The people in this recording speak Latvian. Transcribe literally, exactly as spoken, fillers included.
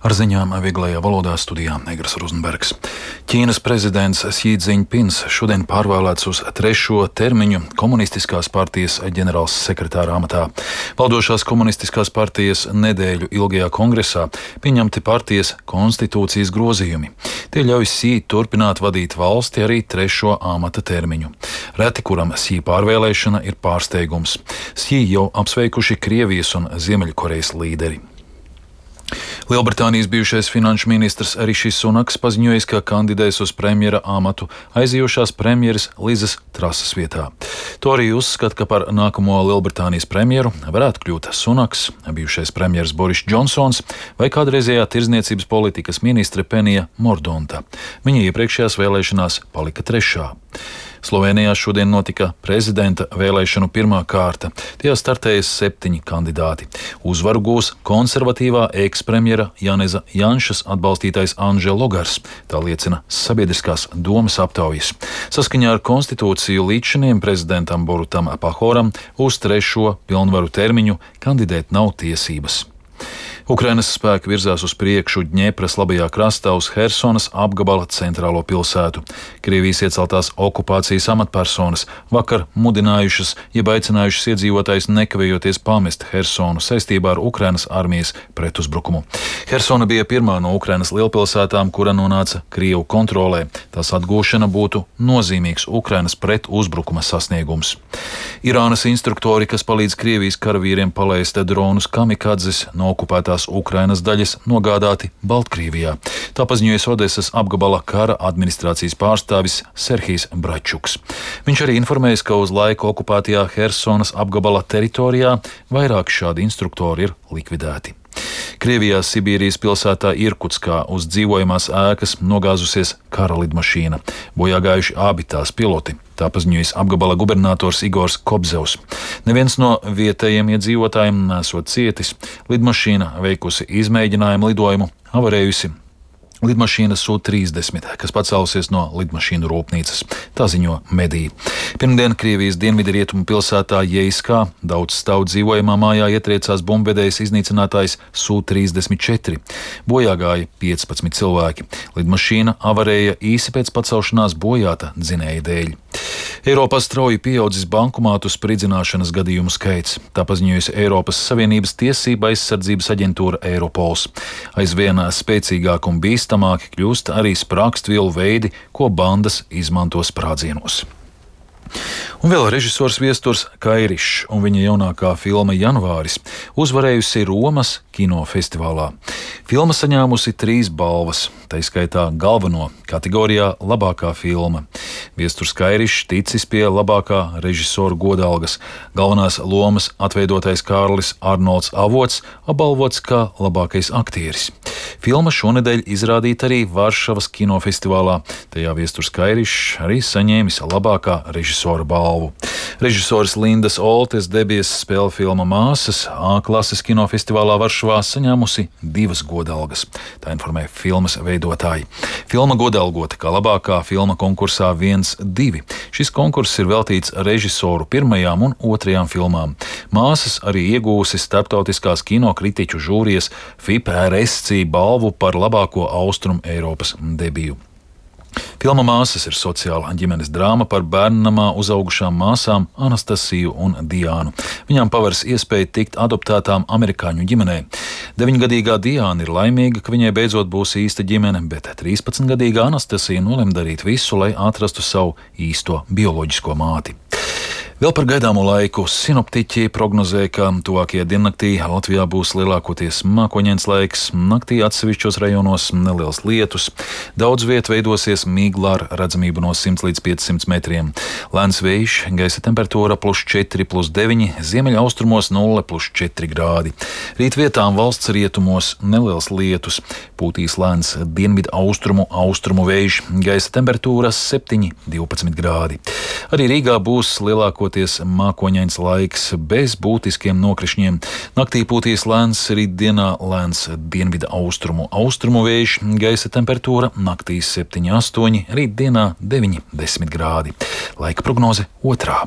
Ar ziņām vieglajā valodā studijā Negras Rozenbergs. Ķīnas prezidents Xi Jinpings šodien pārvēlēts uz trešo termiņu komunistiskās partijas ģenerāls sekretāra amatā. Valdošās komunistiskās partijas nedēļu ilgajā kongresā pieņemti partijas konstitūcijas grozījumi. Tie ļauj Xi turpināt vadīt valsti arī trešo amata termiņu. Reti, kuram Xi pārvēlēšana ir pārsteigums. Xi jau apsveikuši Krievijas un Ziemeļkorejas līderi. Lielbritānijas bijušais finanšu ministrs Rišijs Sunaks paziņojis, ka kandidēs uz premjera amatu aizejošās premjeras Lizas Trasas vietā. To arī uzskata, ka par nākamo Lielbritānijas premjeru varētu kļūt Sunaks, bijušais premjers Boris Džonsons vai kādreizējā tirdzniecības politikas ministre Penija Mordonta. Viņa iepriekšējās vēlēšanās palika trešā. Slovēnijā šodien notika prezidenta vēlēšanu pirmā kārta. Tajā startējas septiņi kandidāti. Uzvaru gūs konservatīvā ekspremjera Janeza Janšas atbalstītais Anže Logars. Tā liecina sabiedriskās domas aptaujas. Saskaņā ar konstitūciju līdzšiniem prezidentam Borutam Pahoram uz trešo pilnvaru termiņu kandidēt nav tiesības. Ukrainas spēki virzās uz priekšu Dņepras labajā krastā uz Hersonas apgabala centrālo pilsētu. Krievijas ieceltās okupācijas amatpersonas vakar mudinājušas, jeb aicinājušas iedzīvotājus nekavējoties pamest Hersonu saistībā ar Ukrainas armijas pretuzbrukumu. Hersona bija pirmā no Ukrainas lielpilsētām, kura nonāca Krievu kontrolē. Tās atgūšana būtu nozīmīgs Ukrainas pretuzbrukuma sasniegums. Irānas instruktori, kas palīdz Krievijas karavīriem palaist dronus kamikadzes no okupētā Ukrainas daļas nogādāti Baltkrievijā. Tā paziņoja Odesas apgabala kara administrācijas pārstāvis Serhijs Bračuks. Viņš arī informēja, ka uz laiku okupētajā Hersonas apgabala teritorijā vairāk šādi instruktori ir likvidēti. Krievijā Sibīrijas pilsētā Irkutskā uz dzīvojamās ēkas nogāzusies kara lidmašīna. Bojā gājuši abi tās piloti. Tā paziņojis apgabala gubernators Igors Kobzevs. Neviens no vietējiem iedzīvotājiem nesot cietis. Lidmašīna veikusi izmēģinājumu lidojumu, avarējusi lidmašīna S U trīsdesmit, kas pacēlusies no lidmašīnu rūpnīcas. Tā ziņo mediji. Pirmdien Krievijas dienvidrietumu pilsētā Jeiskā daudz stāv dzīvojamā mājā ietriecās bumbvedējs iznīcinātājs S U trīsdesmit četri. Bojā gāja piecpadsmit cilvēki. Lidmašīna avarēja īsi pēc pacelšanās bojāta dzinēja dēļ. Eiropā strauji pieaudzis bankomātu spridzināšanas gadījumu skaits. Tā paziņojusi Eiropas Savienības tiesība aizsardzības aģentūra Eiropols. Aizvien spēcīgāk un bīstamāki kļūst arī sprākstvielu veidi, ko bandas izmanto sprādzienos. Un vēl režisors Viesturs Kairišs un viņa jaunākā filma Janvāris uzvarējusi Romas kinofestivālā. Filma saņēmusi trīs balvas, tā izskaitā galveno kategorijā labākā filma. Viesturs Kairišs ticis pie labākā režisora godalgas. Galvenās lomas atveidotais Kārlis Arnolds Avots apbalvots kā labākais aktieris. Filma šonedēļ izrādīta arī Varšavas kinofestivālā. Tajā Viesturs Kairišs arī saņēmis labākā režisora balvu. Režisors Lindas Oltes debijas spēle filma Māsas A klases kinofestivālā Varšavā saņēmusi divas godalgas. Tā informē filmas veidotāji. Filma godalgota kā labākā filma konkursā viens divi. Šis konkurss ir veltīts režisoru pirmajām un otrajām filmām. Māsas arī iegūsi starptautiskās kinokritiķu žūrijas F I P R S C balvu par labāko Austrum Eiropas debiju. Filma Māsas ir sociāla ģimenes drāma par bērnnamā uzaugušām māsām Anastasiju un Diānu. Viņām paveras iespēja tikt adoptētām amerikāņu ģimenē. deviņgadīgā Diāna ir laimīga, ka viņai beidzot būs īsta ģimene, bet trīspadsmitgadīgā Anastasija nolem darīt visu, lai atrastu savu īsto bioloģisko māti. Vēl par gaidāmo laiku sinoptiķi prognozē, ka tuvākajā diennaktī Latvijā būs lielākoties mākoņains laiks, naktī atsevišķos rajonos neliels lietus, daudz viet veidosies migla ar redzamību no simts līdz piecsimt metriem. Lēns vējš, gaisa temperatūra plus četri, plus deviņi, ziemeļaustrumos nulle, plus četri grādi. Rīt vietām valsts rietumos neliels lietus, pūtīs lēns dienvidu austrumu, austrumu vējš, gaisa temperatūra septiņi, divpadsmit grādi. Arī Rīgā būs lielāko mākoņains laiks bez būtiskiem nokrišņiem. Naktī pūtīs lēns, rītdienā lēns dienvidu austrumu, austrumu vējš, gaisa temperatūra naktī septiņi, astoņi, rītdienā deviņi, desmit grādi. Laika prognoze otrā.